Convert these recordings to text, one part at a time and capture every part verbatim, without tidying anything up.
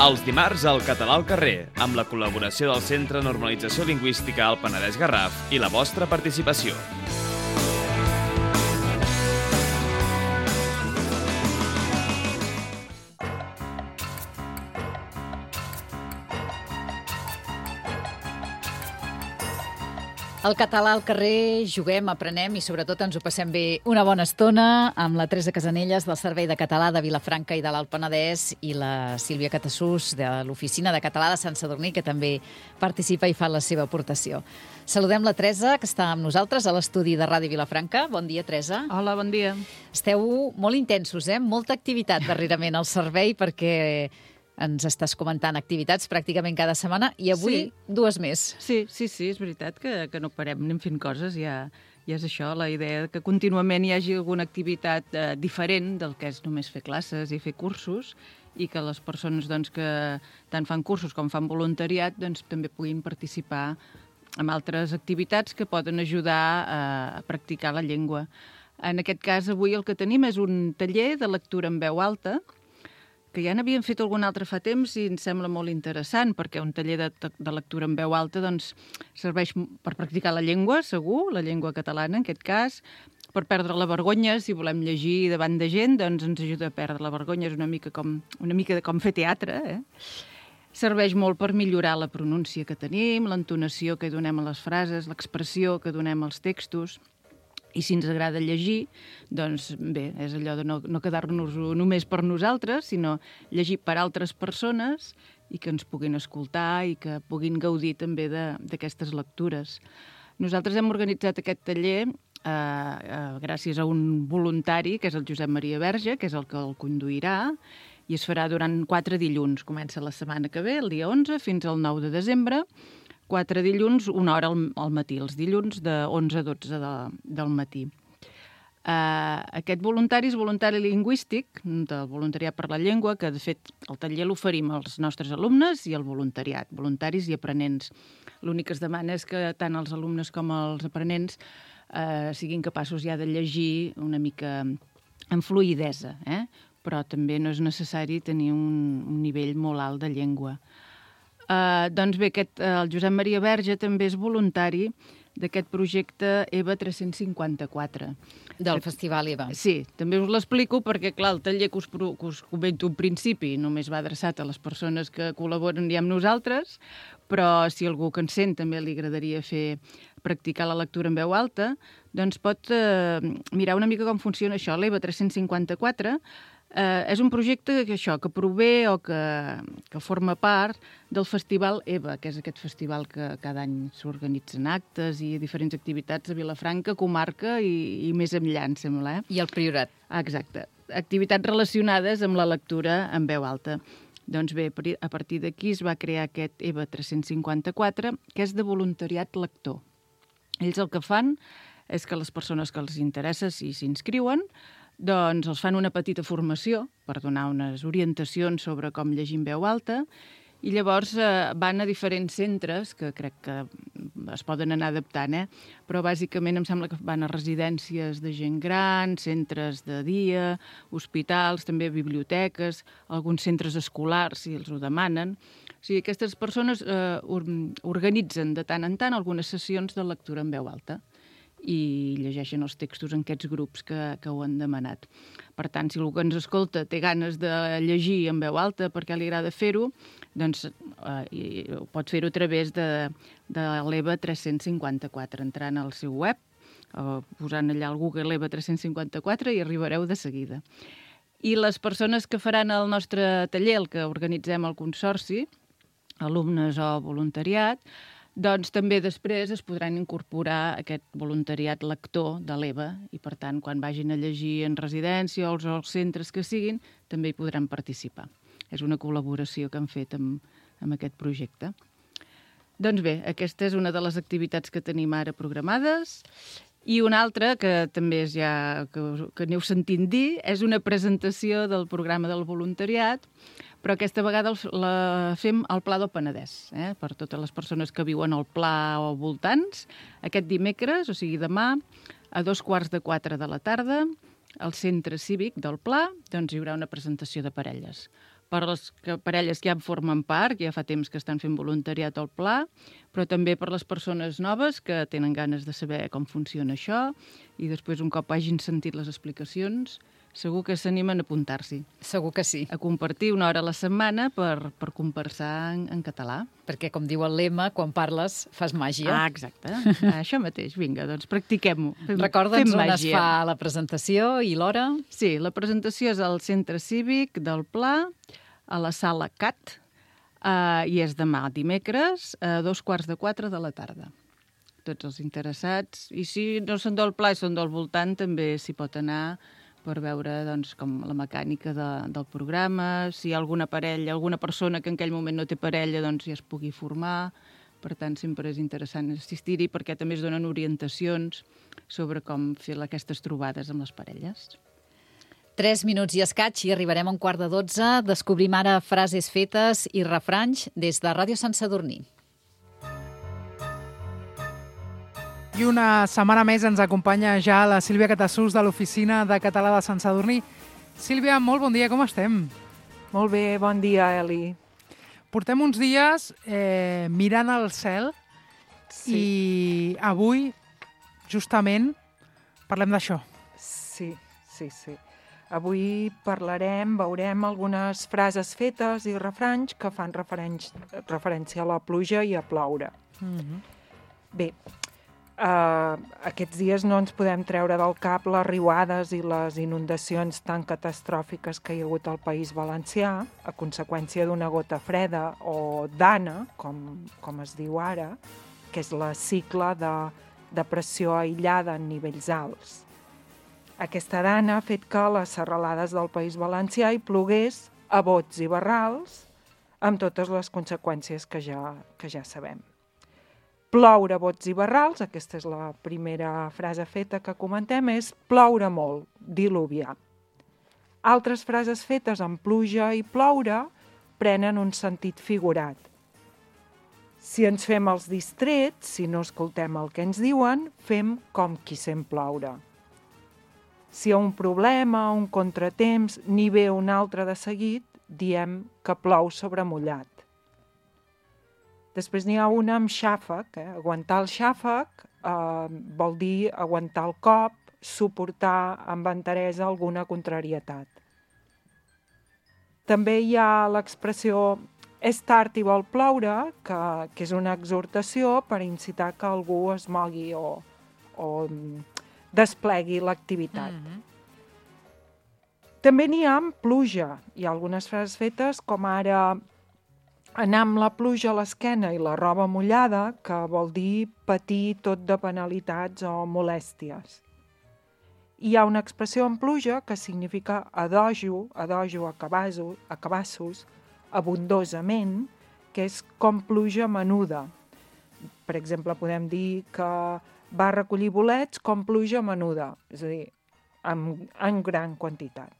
Els dimarts al Català al carrer, amb la col·laboració del Centre Normalització Lingüística al Penedès Garraf i la vostra participació. Al Català al carrer juguem, aprenem i sobretot ens ho passem bé una bona estona amb la Teresa Casanelles del Servei de Català de Vilafranca i de l'Alt Penedès i la Sílvia Catassús de l'Oficina de Català de Sant Sadurní, que també participa i fa la seva aportació. Saludem la Teresa, que està amb nosaltres a l'estudi de Ràdio Vilafranca. Bon dia, Teresa. Hola, bon dia. Esteu molt intensos, eh? Molta activitat darrerament al servei perquè ens estàs comentant activitats pràcticament cada setmana i avui Sí. dues més. Sí, sí, sí, és veritat que, que no parem, anem fent coses, ja, ja és això, la idea que contínuament hi hagi alguna activitat eh, diferent del que és només fer classes i fer cursos i que les persones doncs, que tant fan cursos com fan voluntariat doncs, també puguin participar en altres activitats que poden ajudar a, a practicar la llengua. En aquest cas, avui el que tenim és un taller de lectura en veu alta, que ja n'havíem fet algun altre fa temps i ens sembla molt interessant, perquè un taller de, de lectura en veu alta doncs, serveix per practicar la llengua, segur, la llengua catalana en aquest cas, per perdre la vergonya, si volem llegir davant de gent, doncs ens ajuda a perdre la vergonya, és una mica com, una mica de com fer teatre, eh? Serveix molt per millorar la pronúncia que tenim, l'entonació que donem a les frases, l'expressió que donem als textos. I si ens agrada llegir, doncs bé, és allò de no, no quedar-nos només per nosaltres, sinó llegir per altres persones i que ens puguin escoltar i que puguin gaudir també d'aquestes lectures. Nosaltres hem organitzat aquest taller eh, eh, gràcies a un voluntari, que és el Josep Maria Verge, que és el que el conduirà, i es farà durant quatre dilluns. Comença la setmana que ve, el dia onze, fins al nou de desembre, quatre dilluns, una hora al, al matí, els dilluns de onze a dotze de, del matí. Uh, aquest voluntari és voluntari lingüístic, del Voluntariat per la Llengua, que de fet el taller l'oferim als nostres alumnes i al voluntariat, voluntaris i aprenents. L'únic que es demana és que tant els alumnes com els aprenents uh, siguin capaços ja de llegir una mica amb fluïdesa, eh? Però també no és necessari tenir un, un nivell molt alt de llengua. Uh, doncs bé, aquest, uh, el Josep Maria Verge també és voluntari d'aquest projecte EVA tres-cents cinquanta-quatre. Del Festival EVA. Sí, també us l'explico perquè, clar, el taller que us, que us comento al principi només va adreçat a les persones que col·laboren ja amb nosaltres, però si algú que ens sent també li agradaria fer practicar la lectura en veu alta, doncs pot eh, mirar una mica com funciona això. L'EVA tres-cents cinquanta-quatre Eh, és un projecte que, això, que prové o que, que forma part del Festival EVA, que és aquest festival que cada any s'organitzen actes i diferents activitats a Vilafranca, comarca i, i més enllà, em sembla. Eh? I el Priorat. Ah, exacte. Activitats relacionades amb la lectura en veu alta. Doncs bé, a partir d'aquí es va crear aquest EVA tres-cents cinquanta-quatre, que és de voluntariat lector. Ells el que fan és que les persones que els interessa, si s'inscriuen, doncs els fan una petita formació per donar unes orientacions sobre com llegir en veu alta i llavors eh, van a diferents centres que crec que es poden anar adaptant, eh? Però bàsicament em sembla que van a residències de gent gran, centres de dia, hospitals, també biblioteques, alguns centres escolars, si els ho demanen. O sigui, aquestes persones eh, organitzen de tant en tant algunes sessions de lectura en veu alta i llegeixen els textos en aquests grups que, que ho han demanat. Per tant, si algú que ens escolta té ganes de llegir en veu alta perquè li agrada fer-ho, doncs eh, pot fer-ho a través de, de l'EVA tres-cents cinquanta-quatre, entrant al seu web, o posant allà al Google EVA tres-cents cinquanta-quatre i arribareu de seguida. I les persones que faran el nostre taller, el que organitzem al Consorci, alumnes o voluntariat, doncs també després es podran incorporar aquest voluntariat lector de l'EVA i, per tant, quan vagin a llegir en residència o als centres que siguin, també hi podran participar. És una col·laboració que han fet amb, amb aquest projecte. Doncs bé, aquesta és una de les activitats que tenim ara programades. I una altra, que també és ja que, que aneu sentint dir, és una presentació del programa del voluntariat, però aquesta vegada la fem al Pla del Penedès, eh? Per totes les persones que viuen al Pla o voltants. Aquest dimecres, o sigui demà, a dos quarts de quatre de la tarda, al centre cívic del Pla, doncs hi haurà una presentació de parelles. per les que, parelles que ja en formen part, que ja fa temps que estan fent voluntariat al Pla, però també per les persones noves que tenen ganes de saber com funciona això i després, un cop hagin sentit les explicacions, segur que s'animen a apuntar-s'hi. Segur que sí. A compartir una hora a la setmana per, per conversar en, en català. Perquè, com diu el lema, quan parles fas màgia. Ah, exacte. Ah, això mateix. Vinga, doncs practiquem-ho. Fem, Recorda'ns fem on es màgia. fa la presentació i l'hora. Sí, la presentació és al Centre Cívic del Pla, a la sala C A T, eh, i és demà dimecres a dos quarts de quatre de la tarda. Tots els interessats. I si no són del Pla i són del voltant, també s'hi pot anar per veure doncs, com la mecànica de, del programa, si hi ha alguna parella, alguna persona que en aquell moment no té parella, doncs ja es pugui formar. Per tant, sempre és interessant assistir-hi perquè també es donen orientacions sobre com fer aquestes trobades amb les parelles. Tres minuts i escaig i arribarem a un quart de dotze. Descobrim ara frases fetes i refranys des de Ràdio Sant Sadurní. I una setmana més ens acompanya ja la Sílvia Catassús de l'Oficina de Català de Sant Sadurní. Sílvia, molt bon dia, com estem? Molt bé, bon dia, Eli. Portem uns dies eh, mirant al cel Sí. i avui, justament, parlem d'això. Sí, sí, sí. Avui parlarem, veurem algunes frases fetes i refranys que fan referència, referència a la pluja i a ploure. Mm-hmm. Bé, Uh, aquests dies no ens podem treure del cap les riuades i les inundacions tan catastròfiques que hi ha hagut al País Valencià a conseqüència d'una gota freda o d'Anna, com, com es diu ara, que és la cicle de, de pressió aïllada en nivells alts. Aquesta dana ha fet que a les serralades del País Valencià hi plogués a bots i barrals amb totes les conseqüències que ja, que ja sabem. Ploure, bots i barrals, aquesta és la primera frase feta que comentem, és ploure molt, diluviar. Altres frases fetes amb pluja i ploure prenen un sentit figurat. Si ens fem els distrets, si no escoltem el que ens diuen, fem com qui sent ploure. Si hi ha un problema, un contratemps, n'hi ve un altre de seguit, diem que plou sobre mullat. Després n'hi ha una amb xàfec. Eh? Aguantar el xàfec eh, vol dir aguantar el cop, suportar amb enteresa alguna contrarietat. També hi ha l'expressió és tard i vol ploure, que, que és una exhortació per incitar que algú es mogui o, o desplegui l'activitat. Mm-hmm. També n'hi ha amb pluja. Hi ha algunes frases fetes com ara anar amb la pluja a l'esquena i la roba mullada, que vol dir patir tot de penalitats o molèsties. Hi ha una expressió en pluja que significa adojo, adojo a cabassos, a cabassos, abundosament, que és com pluja menuda. Per exemple, podem dir que va recollir bolets com pluja menuda, és a dir, en, en gran quantitat.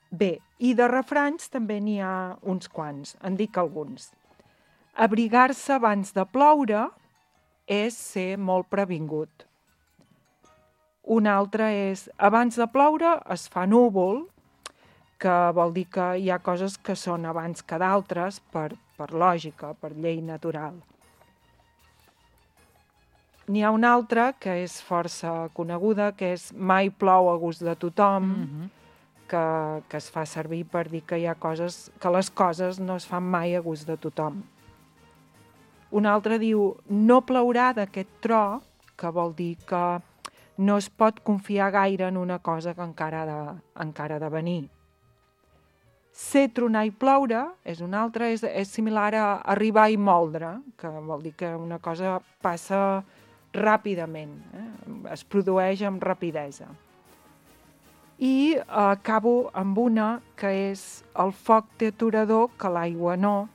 Bé, i de refranys també n'hi ha uns quants, en dic alguns. Abrigar-se abans de ploure és ser molt previngut. Un altre és, abans de ploure es fa núvol, que vol dir que hi ha coses que són abans que d'altres per, per lògica, per llei natural. N'hi ha una altra que és força coneguda, que és mai plou a gust de tothom, mm-hmm. que, que es fa servir per dir que hi ha coses, que les coses no es fan mai a gust de tothom. Un altre diu, no plourà d'aquest tro, que vol dir que no es pot confiar gaire en una cosa que encara ha de, encara ha de venir. Ser, tronar i ploure és un altre, és, és similar a arribar i moldre, que vol dir que una cosa passa ràpidament, eh? Es produeix amb rapidesa. I eh, acabo amb una que és el foc té aturador que l'aigua no,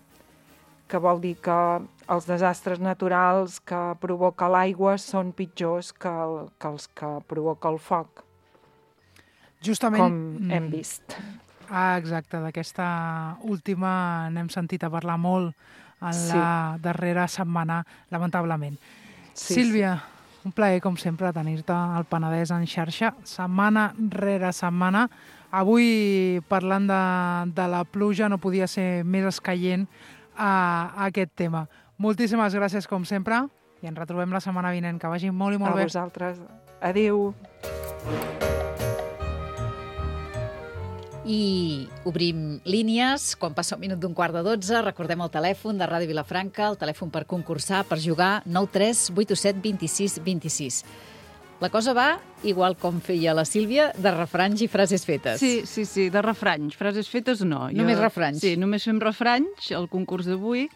que vol dir que els desastres naturals que provoca l'aigua són pitjors que, el, que els que provoca el foc. Justament, com hem vist. Ah, exacte, d'aquesta última n'hem sentit a parlar molt en sí. la darrera setmana, lamentablement. Sí, Sílvia, sí. un plaer, com sempre, tenir-te al Penedès en xarxa, setmana rere setmana, avui, parlant de, de la pluja, no podia ser més escaient a, a aquest tema. Moltíssimes gràcies, com sempre, i ens retrobem la setmana vinent. Que vagi molt i molt a bé. A vosaltres. Adéu. I obrim línies. Quan passa un minut d'un quart de dotze, recordem el telèfon de Ràdio Vilafranca, el telèfon per concursar, per jugar, nou tres vuit set dos sis dos sis. La cosa va, igual com feia la Sílvia, de refranys i frases fetes. Sí, sí, sí, de refranys. Frases fetes no. Només refranys? Sí, només fem refranys, el concurs d'avui,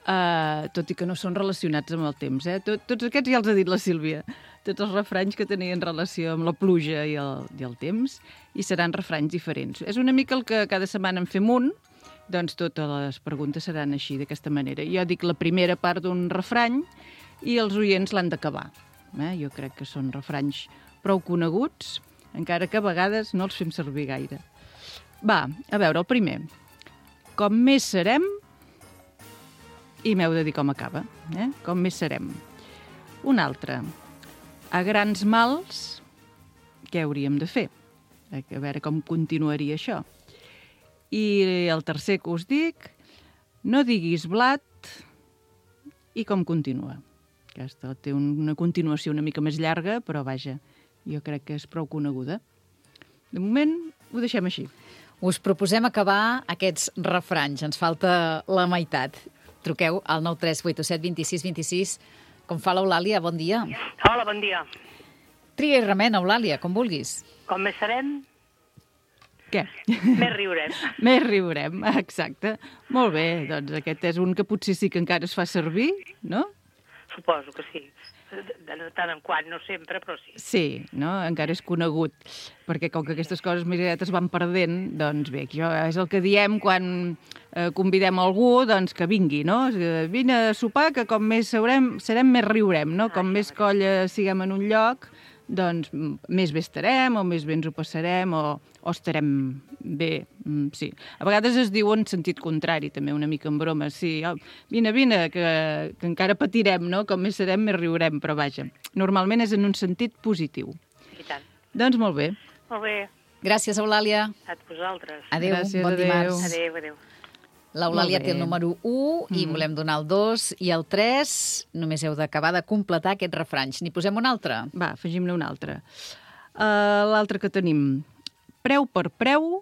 Uh, tot i que no són relacionats amb el temps. Eh? Tot, tots aquests ja els ha dit la Sílvia. Tots els refranys que tenien relació amb la pluja i el, i el temps, i seran refranys diferents. És una mica el que cada setmana en fem un, doncs totes les preguntes seran així, d'aquesta manera. Jo dic la primera part d'un refrany i els oients l'han d'acabar. Eh? Jo crec que són refranys prou coneguts, encara que a vegades no els fem servir gaire. Va, a veure, el primer. Com més serem, i m'heu de dir com acaba, eh? Com més serem. Un altre. A grans mals, què hauríem de fer? A veure com continuaria això. I el tercer que us dic, no diguis blat, i com continua. Aquesta té una continuació una mica més llarga, però vaja, jo crec que és prou coneguda. De moment, ho deixem així. Us proposem acabar aquests refranys. Ens falta la meitat. Truqueu al nou tres vuit set dos sis dos sis. Com fa l'Eulàlia, bon dia. Hola, bon dia. Tria i remena, Eulàlia, com vulguis. Com més serem, què? més riurem. Més riurem, exacte. Molt bé, doncs aquest és un que potser sí que encara es fa servir, no? Suposo que sí. De tant en quant, no sempre, però sí. Sí, no? Encara és conegut. Perquè com que aquestes coses més aviat es van perdent, doncs bé, això és el que diem quan eh, convidem algú, doncs que vingui, no? Vine a sopar, que com més seurem, serem, més riurem, no? Com més colla siguem en un lloc, doncs més bé estarem, o més bé ens ho passarem, o, o estarem bé, sí. A vegades es diu en sentit contrari, també, una mica en broma, sí, oh, vine, vine, que, que encara patirem, no? Com més serem, més riurem, però vaja. Normalment és en un sentit positiu. I tant. Doncs molt bé. Molt bé. Gràcies, Eulàlia. A vosaltres. Adéu, Gràcies, bon adéu. dimarts. Adéu, adéu. L'Eulàlia Molt bé. té el número u i Mm. volem donar el dos i el tres. Només heu d'acabar de completar aquests refranys. N'hi posem un altre? Va, afegim-ne un altre. Uh, L'altre que tenim, preu per preu.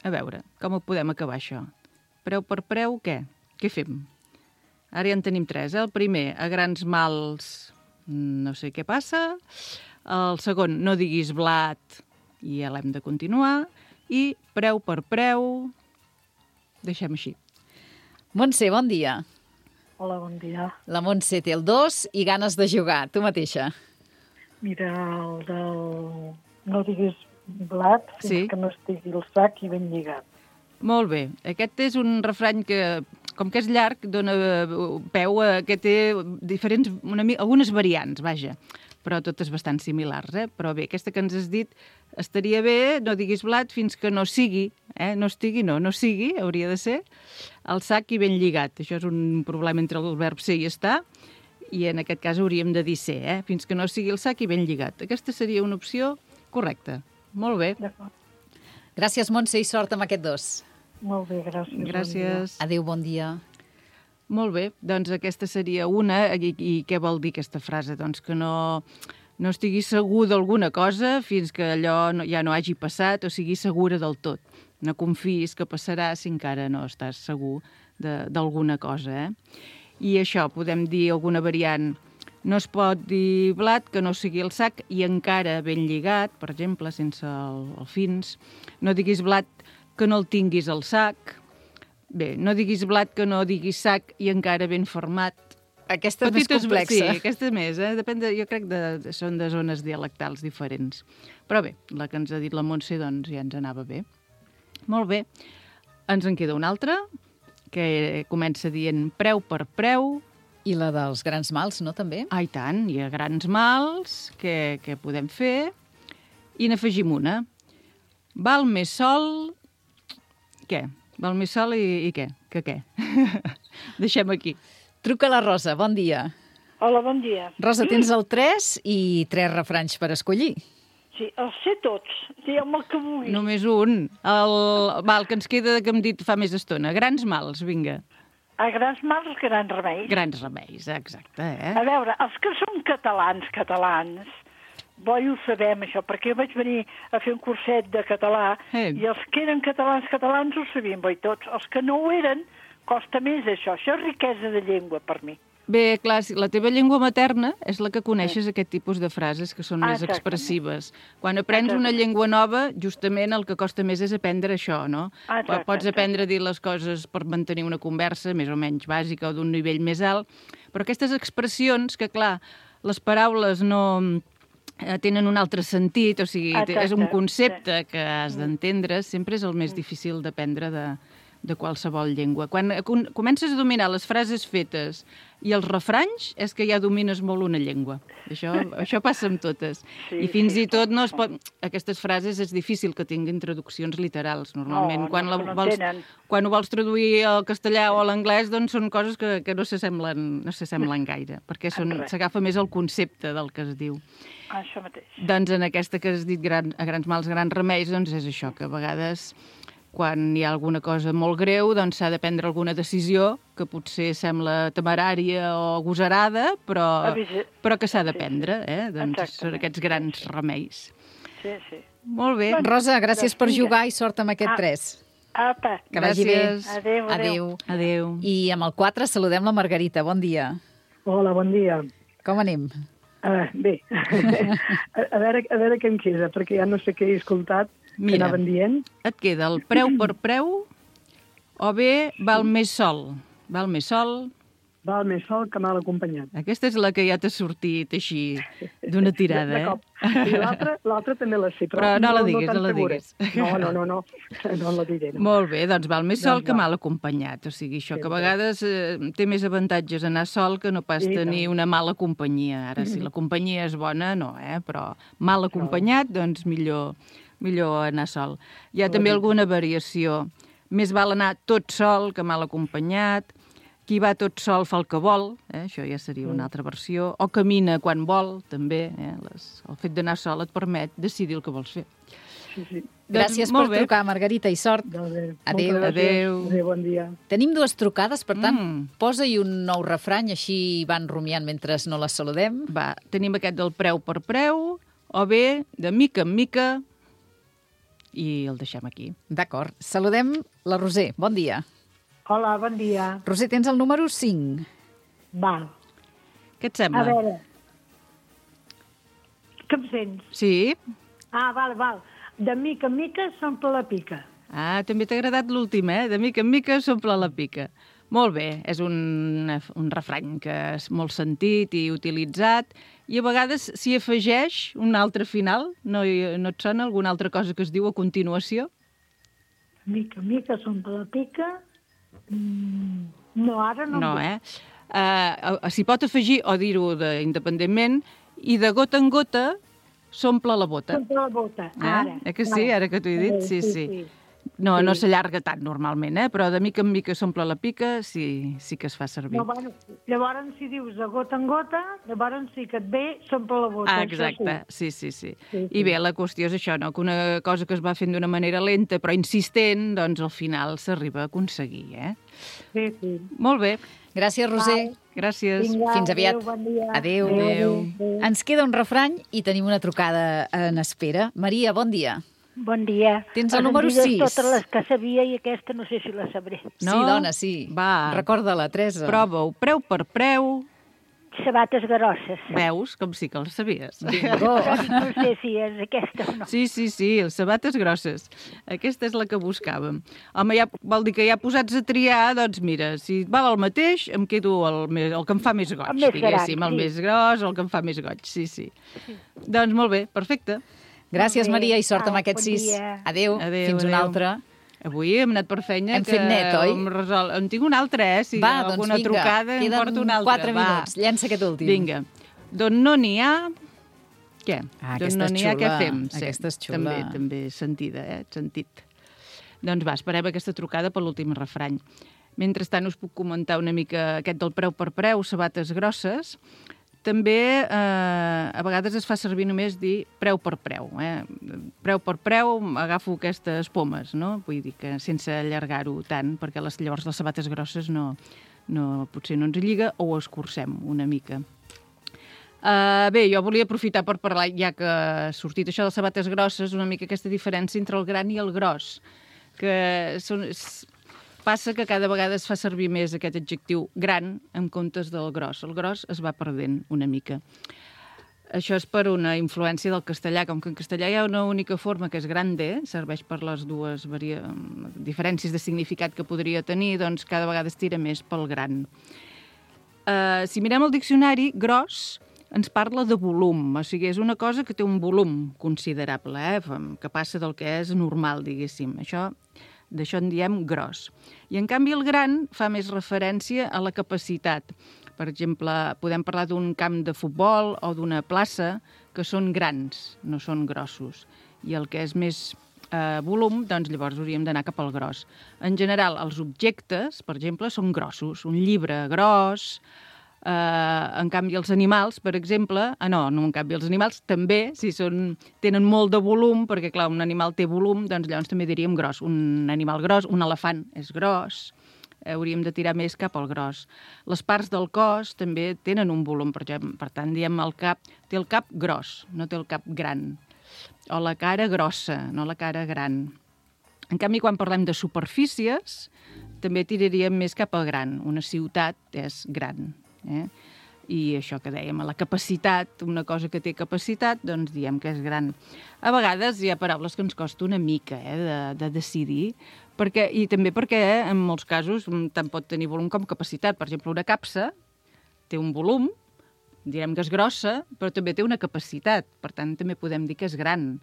A veure, com ho podem acabar, això? Preu per preu, què? Què fem? Ara ja en tenim tres, eh? El primer, a grans mals, no sé què passa. El segon, no diguis blat, i ja l'hem de continuar. I preu per preu, deixem així. Montse, bon dia. Hola, bon dia. La Montse té el dos i ganes de jugar. Tu mateixa. Mira, el del... No diguis blat fins Sí. que no estigui el sac i ben lligat. Molt bé. Aquest és un refrany que, com que és llarg, dona peu a que té diferents, una, mi- algunes variants, vaja, però totes bastant similars, eh? Però bé, aquesta que ens has dit estaria bé, no diguis blat fins que no sigui, eh? No estigui, no, no sigui, hauria de ser, el sac i ben lligat. Això és un problema entre el verb ser i estar, i en aquest cas hauríem de dir ser, eh? Fins que no sigui el sac i ben lligat. Aquesta seria una opció correcta. Molt bé. D'acord. Gràcies, Montse, i sort amb aquest dos. Molt bé, gràcies. bon dia. Gràcies. Adéu, bon dia. Molt bé, doncs aquesta seria una, i, i què vol dir aquesta frase? Doncs que no, no estiguis segur d'alguna cosa fins que allò no, ja no hagi passat o siguis segura del tot. No confiïs que passarà si encara no estàs segur de- d'alguna cosa, eh? I això, podem dir alguna variant. No es pot dir blat que no sigui el sac i encara ben lligat, per exemple, sense el, el fins. No diguis blat que no el tinguis al sac. Bé, no diguis blat que no diguis sac i encara ben format. Aquesta és Petites- més complexa. Sí, aquesta més, eh? Depèn de, jo crec que de, són de zones dialectals diferents. Però bé, la que ens ha dit la Montse, doncs ja ens anava bé. Molt bé. Ens en queda una altra, que comença dient preu per preu. I la dels grans mals, no, també? Ah, i tant, hi ha grans mals que, que podem fer. I n'afegim una. Val més sol... Què? Val més sol i, i què? Que què? Deixem aquí. Truca la Rosa, bon dia. Hola, bon dia. Rosa, tens el tres i tres refranys per escollir. sí, els sé tots. Digue'm el que vulguis. Només un. El, va, el que ens queda que hem dit fa més estona. Grans mals, vinga. A grans mals, grans remeis. Grans remeis, exacte, eh? A veure, els que són catalans, catalans, bo i ho sabem, això, perquè jo vaig venir a fer un curset de català Eh. i els que eren catalans, catalans ho sabien, bo i tots. Els que no ho eren, costa més això. Això és riquesa de llengua per mi. Bé, clar, si la teva llengua materna és la que coneixes aquest tipus de frases que són més Exactament. expressives. Quan aprens una llengua nova, justament el que costa més és aprendre això, no? Exacte, Pots aprendre a dir les coses per mantenir una conversa més o menys bàsica o d'un nivell més alt, però aquestes expressions que, clar, les paraules no eh, tenen un altre sentit, o sigui, Exacte, és un concepte sí. que has d'entendre, sempre és el més difícil d'aprendre de, de qualsevol llengua. Quan com- comences a dominar les frases fetes i els refranys, és que ja domines molt una llengua. Això, això passa amb totes. Sí, I fins sí. i tot no es pot... Aquestes frases és difícil que tinguin traduccions literals, normalment. No, quan, no, la no vols, tenen. quan ho vols traduir al castellà o a l'anglès, doncs són coses que, que no s'assemblen no s'assemblen gaire, perquè són- Res. s'agafa més el concepte del que es diu. Això mateix. Doncs en aquesta que has dit gran, a grans mals, grans remeis, doncs és això, que a vegades quan hi ha alguna cosa molt greu, doncs s'ha de prendre alguna decisió que potser sembla temerària o agosarada, però, Avisa- però que s'ha de sí, prendre, eh? Doncs Exactament. són aquests grans remeis. Sí, sí. Molt bé. Rosa, gràcies per vinga. jugar i sort amb aquest Ah. tres. Apa. Que vagi bé. Gràcies. Adéu, adéu. Adéu. I amb el quatre saludem la Margarita. Bon dia. Hola, bon dia. Com anem? Uh, bé, a, a, veure, a veure què em queda, perquè ja no sé què he escoltat, Mira. que anaven dient. Et queda el preu per preu o bé val més sol? Val més sol? Val més sol que mal acompanyat. Aquesta és la que ja t'ha sortit així d'una tirada, de eh? cop. I l'altra l'altra també la sé, però, Però no la diguis, tan no la segura. diguis. No, no, no, no, no la diré. No. Molt bé, doncs val més sol Doncs que va. mal acompanyat. O sigui, això Sí, que a sí. vegades eh, té més avantatges anar sol que no pas I tenir tant. una mala companyia. Ara, si la companyia és bona, no, eh? Però mal acompanyat, doncs millor, millor anar sol. Hi ha també alguna variació. Més val anar tot sol que mal acompanyat. Qui va tot sol fa el que vol, eh? Això ja seria una altra versió. O camina quan vol, també. Eh? Les, el fet d'anar sol et permet decidir el que vols fer. Sí, sí. Gràcies Doncs, molt per bé. trucar, Margarita, i sort. Doncs bé, Adéu. moltes gràcies. Adéu. Adéu, bon dia. Tenim dues trucades, per tant, Mm. posa-hi un nou refrany, així van rumiant mentre no les saludem. Va, tenim aquest del preu per preu, o bé de mica en mica, i el deixem aquí. D'acord. Saludem la Roser. Bon dia. Hola, bon dia. Roser, tens el número cinc. Val. Què et sembla? A veure. Que em sents? Sí? Ah, val, val. De mica en mica s'omple la pica. Ah, també t'ha agradat l'últim, eh? De mica en mica s'omple la pica. Molt bé, és un, un refrany que és molt sentit i utilitzat, i a vegades s'hi afegeix un altre final. No, hi- no et sona alguna altra cosa que es diu a continuació? Mica en mica s'omple la pica. Mm, no, ara no. No, em ve. eh? Uh, S'hi pot afegir, o dir-ho de- independentment, i de gota en gota s'omple la bota. S'omple la bota, Eh? ara. Eh que sí, ara que t'ho he dit? Sí, sí. No, no s'allarga tant normalment, eh? Però de mica en mica s'omple la pica, sí, sí que es fa servir. No, bueno, llavors, si dius de gota en gota, llavors sí que et ve, s'omple la bota. Ah, això exacte, sí, sí, sí. Sí, I bé, la qüestió és això, no? Que una cosa que es va fent d'una manera lenta però insistent, doncs al final s'arriba a aconseguir, eh? Sí, sí. sí. Molt bé, Gràcies, Roser. gràcies. Vinga, Fins aviat. Adéu, bon dia. Adéu. Adéu. Ens queda un refrany i tenim una trucada en espera. Maria, bon dia. Bon dia. Tens el Em número digues sis. totes les que sabia i aquesta no sé si la sabré. No? Sí, dona, sí. Va. Recorda-la, Teresa. Prova-ho, preu per preu. Sabates grosses. Veus? Com sí que el sabies. Bingo. No sé si és aquesta o no. Sí, sí, sí, les sabates grosses. Aquesta és la que buscàvem. Home, ja, vol dir que ja posats a triar, doncs mira, si val el mateix, em quedo el, més, el que em fa més goig, El més gran, diguéssim, el sí. més gros, el que em fa més goig, sí, sí. Doncs molt bé, perfecte. Gràcies, Molt bé. Maria, i sort amb Au, aquest bon sis. dia. Adéu. Adéu, Fins una adéu. altra. Avui hem anat per feina. Hem que fet net, oi? Em, resol... em tinc un altre, eh? Si Va, hi ha doncs alguna vinga. trucada, em Queden porto un altre. quatre Va. minuts. Llença aquest últim. Vinga. D'on no n'hi ha... Què? Ah, D'on aquesta no és n'hi ha, què xula. fem? Aquesta és xula. També, també sentida, eh? Sentit. Doncs va, esperem aquesta trucada per l'últim refrany. Mentrestant us puc comentar una mica aquest del preu per preu, sabates grosses. També eh, a vegades es fa servir només dir preu per preu. Eh? Preu per preu, agafo aquestes pomes, no? Vull dir que sense allargar-ho tant, perquè les, llavors les sabates grosses no, no, potser no ens lliga o ho escurcem una mica. Uh, bé, jo volia aprofitar per parlar, ja que ha sortit això de les sabates grosses, una mica aquesta diferència entre el gran i el gros, que són, passa que cada vegada es fa servir més aquest adjectiu gran en comptes del gros. El gros es va perdent una mica. Això és per una influència del castellà, com que en castellà hi ha una única forma que és grande, serveix per les dues varia... diferències de significat que podria tenir, doncs cada vegada es tira més pel gran. Uh, si mirem el diccionari, gros ens parla de volum, o sigui, és una cosa que té un volum considerable, eh? Que passa del que és normal, diguéssim. Això, d'això en diem gros. I, en canvi, el gran fa més referència a la capacitat. Per exemple, podem parlar d'un camp de futbol o d'una plaça que són grans, no són grossos. I el que és més eh, volum, doncs llavors hauríem d'anar cap al gros. En general, els objectes, per exemple, són grossos. Un llibre gros. Uh, en canvi, els animals, per exemple... Ah, no, no, en canvi, els animals també, si són, tenen molt de volum, perquè, clar, un animal té volum, doncs llavors també diríem gros. Un animal gros, un elefant és gros, hauríem de tirar més cap al gros. Les parts del cos també tenen un volum, per exemple, per tant, diem el cap, té el cap gros, no té el cap gran. O la cara grossa, no la cara gran. En canvi, quan parlem de superfícies, també tiraríem més cap al gran. Una ciutat és gran. Eh? I això que dèiem, la capacitat, una cosa que té capacitat, doncs diem que és gran. A vegades hi ha paraules que ens costa una mica eh, de, de decidir, perquè, i també perquè eh, en molts casos tant pot tenir volum com capacitat. Per exemple, una capsa té un volum, direm que és grossa, però també té una capacitat, per tant també podem dir que és gran.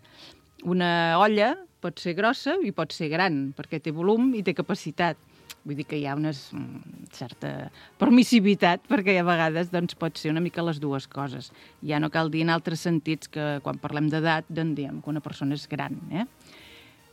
Una olla pot ser grossa i pot ser gran, perquè té volum i té capacitat. Vull dir que hi ha una certa permissivitat, perquè a vegades doncs, pot ser una mica les dues coses. Ja no cal dir en altres sentits que quan parlem d'edat doncs diem que una persona és gran. Eh?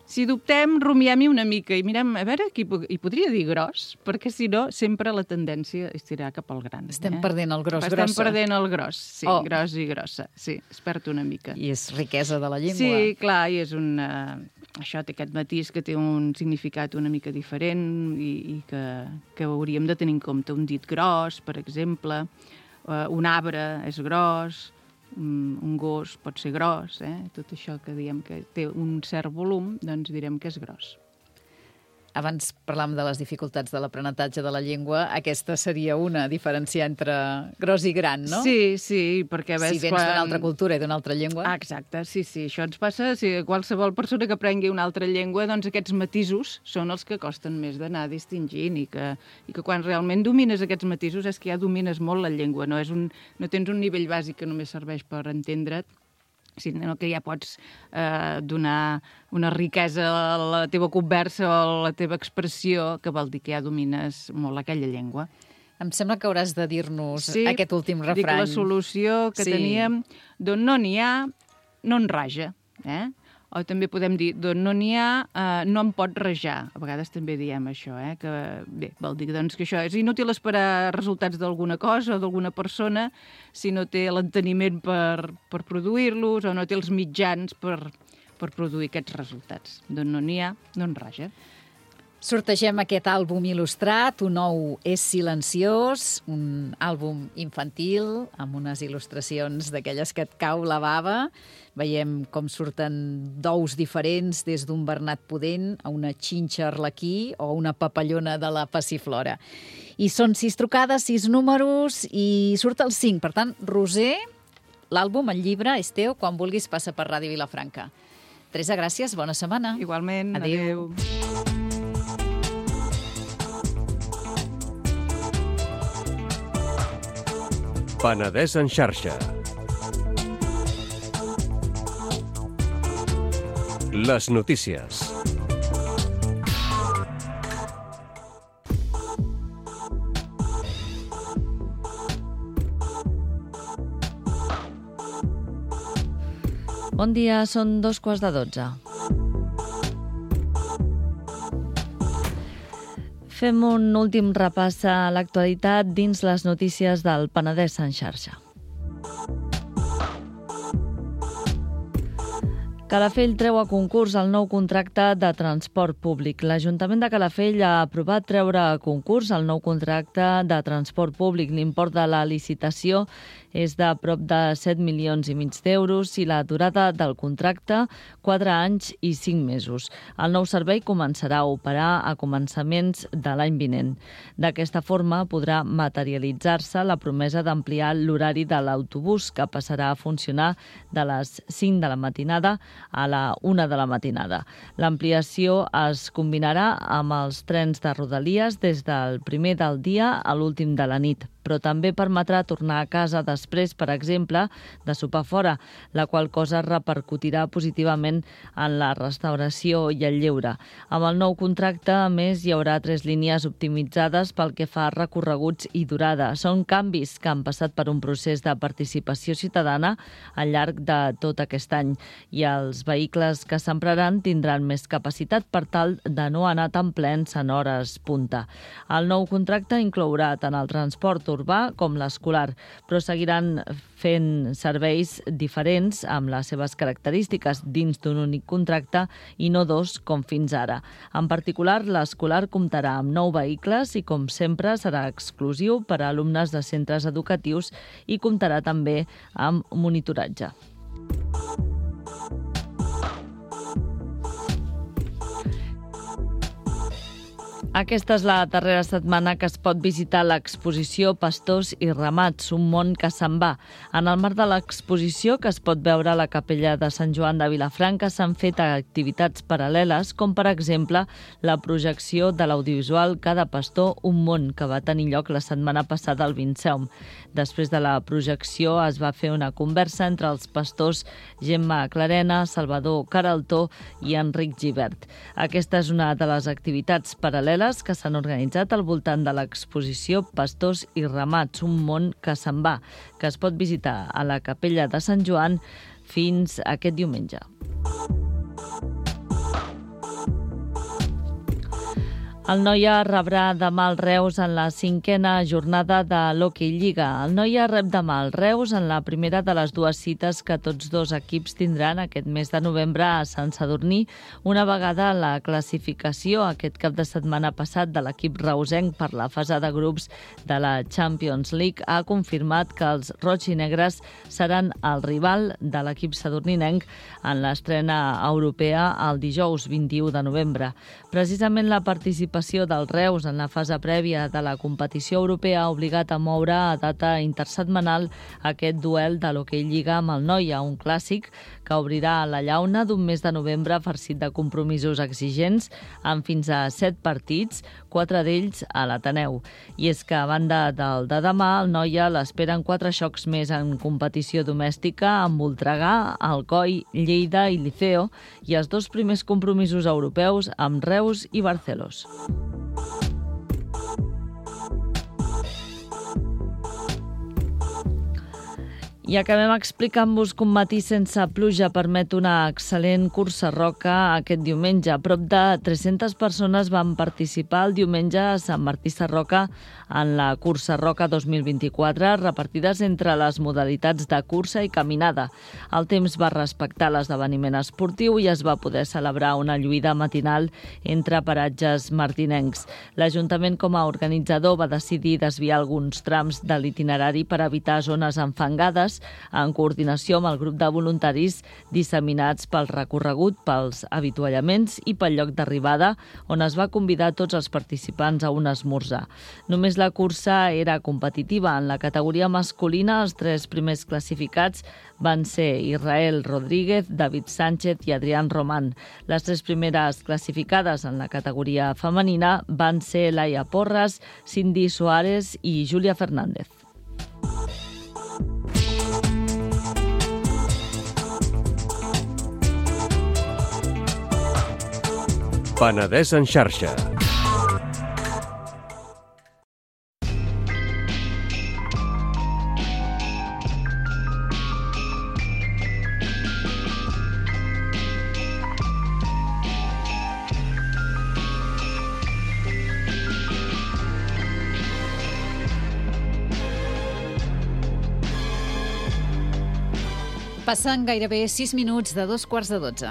Si dubtem, rumiem-hi una mica i mirem, a veure, qui hi podria dir gros, perquè si no, sempre la tendència és tirar cap al gran. Estem eh? perdent el gros, Estem grossa. perdent el gros, sí, oh. gros i grossa, sí, es perd una mica. I és riquesa de la llengua. Sí, clar, i és una... Això té aquest matís que té un significat una mica diferent i, i que, que hauríem de tenir en compte. Un dit gros, per exemple, uh, un arbre és gros, un, un gos pot ser gros, eh? Tot això que diem que té un cert volum, doncs direm que és gros. Abans parlàvem de les dificultats de l'aprenentatge de la llengua. Aquesta seria una, diferenciar entre gros i gran, no? Sí, sí, perquè... Ves, si vens quan... d'una altra cultura i d'una altra llengua. Ah, exacte, sí, sí, això ens passa. Si qualsevol persona que aprengui una altra llengua, doncs aquests matisos són els que costen més d'anar distingint i que, i que quan realment domines aquests matisos és que ja domines molt la llengua, no, és un, no tens un nivell bàsic que només serveix per entendre't, sinó que ja pots eh, donar una riquesa a la teva conversa o a la teva expressió, que vol dir que ja domines molt aquella llengua. Em sembla que hauràs de dir-nos sí, aquest últim refrany. Sí, dic la solució que sí. teníem, d'on no n'hi ha, no en raja. Eh? O també podem dir, d'on no n'hi ha, eh, no em pot rajar. A vegades també diem això, eh? Que bé, vol dir doncs, que això és inútil esperar resultats d'alguna cosa o d'alguna persona si no té l'enteniment per, per produir-los o no té els mitjans per, per produir aquests resultats. D'on no n'hi ha, no en raja. Sortegem aquest àlbum il·lustrat, Un ou és silenciós, un àlbum infantil amb unes il·lustracions d'aquelles que et cau la bava. Veiem com surten d'ous diferents, des d'un bernat pudent a una xinxa arlequí o una papallona de la passiflora. I són sis trucades, sis números i surt el cinc. Per tant, Roser, l'àlbum, el llibre, és teu. Quan vulguis passa per Ràdio Vilafranca. Teresa, gràcies, bona setmana. Igualment, adéu. adéu. Penedès en xarxa. Les notícies. Bon dia, són dos quarts de dotze. Fem un últim repàs a l'actualitat dins les notícies del Penedès en xarxa. Calafell treu a concurs el nou contracte de transport públic. L'Ajuntament de Calafell ha aprovat treure a concurs el nou contracte de transport públic. L'import de la licitació és de prop de set milions i mig d'euros i la durada del contracte quatre anys i cinc mesos. El nou servei començarà a operar a començaments de l'any vinent. D'aquesta forma podrà materialitzar-se la promesa d'ampliar l'horari de l'autobús, que passarà a funcionar de les cinc de la matinada a la una de la matinada. L'ampliació es combinarà amb els trens de Rodalies des del primer del dia a l'últim de la nit, però també permetrà tornar a casa després, per exemple, de sopar fora, la qual cosa repercutirà positivament en la restauració i el lleure. Amb el nou contracte, a més, hi haurà tres línies optimitzades pel que fa a recorreguts i durada. Són canvis que han passat per un procés de participació ciutadana al llarg de tot aquest any i els vehicles que s'empraran tindran més capacitat per tal de no anar tan plens en hores punta. El nou contracte inclourà tant el transport urbà com l'escolar, però seguiran fent serveis diferents amb les seves característiques dins d'un únic contracte i no dos com fins ara. En particular, l'escolar comptarà amb nou vehicles i, com sempre, serà exclusiu per a alumnes de centres educatius i comptarà també amb monitoratge. Aquesta és la darrera setmana que es pot visitar l'exposició Pastors i Ramats, un món que se'n va. En el marc de l'exposició, que es pot veure a la capella de Sant Joan de Vilafranca, s'han fet activitats paral·leles, com per exemple la projecció de l'audiovisual Cada pastor, un món, que va tenir lloc la setmana passada al Vinceum. Després de la projecció es va fer una conversa entre els pastors Gemma Clarena, Salvador Caraltó i Enric Gibert. Aquesta és una de les activitats paral·leles que s'han organitzat al voltant de l'exposició Pastors i Ramats, un món que se'n va, que es pot visitar a la capella de Sant Joan fins aquest diumenge. El Noia rebrà demà el Reus en la cinquena jornada de l'Hockey Lliga. El Noia rep demà el Reus en la primera de les dues cites que tots dos equips tindran aquest mes de novembre a Sant Sadurní, una vegada la classificació aquest cap de setmana passat de l'equip reusenc per la fase de grups de la Champions League ha confirmat que els roig i negres seran el rival de l'equip sadurninenc en l'estrena europea el dijous vint-i-u de novembre. Precisament la participació del Reus en la fase prèvia de la competició europea ha obligat a moure a data intersetmanal aquest duel de l'Hockey Lliga amb el Noia, un clàssic que obrirà la llauna d'un mes de novembre farcit de compromisos exigents amb fins a set partits, quatre d'ells a l'Ateneu. I és que a banda del de demà, el Noia l'esperen quatre xocs més en competició domèstica amb Voltregà, Alcoi, Lleida i Liceo i els dos primers compromisos europeus amb Reus i Barcelos. I acabem explicant-vos que un matí sense pluja permet una excel·lent cursa roca aquest diumenge. A prop de tres-centes persones van participar el diumenge a Sant Martí Sarroca en la cursa roca dos mil vint-i-quatre, repartides entre les modalitats de cursa i caminada. El temps va respectar l'esdeveniment esportiu i es va poder celebrar una lluïda matinal entre paratges martinencs. L'Ajuntament, com a organitzador, va decidir desviar alguns trams de l'itinerari per evitar zones enfangades, en coordinació amb el grup de voluntaris disseminats pel recorregut, pels avituallaments i pel lloc d'arribada, on es va convidar tots els participants a un esmorzar. Només la cursa era competitiva. En la categoria masculina, els tres primers classificats van ser Israel Rodríguez, David Sánchez i Adrián Román. Les tres primeres classificades en la categoria femenina van ser Laia Porras, Cindy Suárez i Júlia Fernández. Penedès en xarxa. Passen gairebé sis minuts de dos quarts de dotze.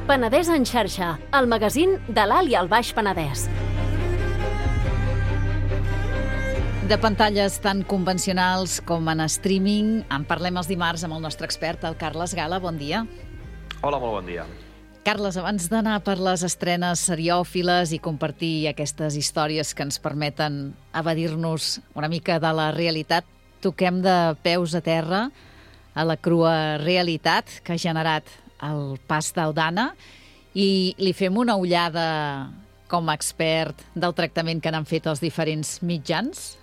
Penedès en xarxa, el magazín de l'Alt i el Baix Penedès. De pantalles tan convencionals com en streaming, en parlem els dimarts amb el nostre expert, el Carles Gala. Bon dia. Hola, molt bon dia. Carles, abans d'anar per les estrenes seriòfiles i compartir aquestes històries que ens permeten evadir-nos una mica de la realitat, toquem de peus a terra a la crua realitat que ha generat el pas d'Aldana i li fem una ullada com a expert del tractament que n'han fet els diferents mitjans?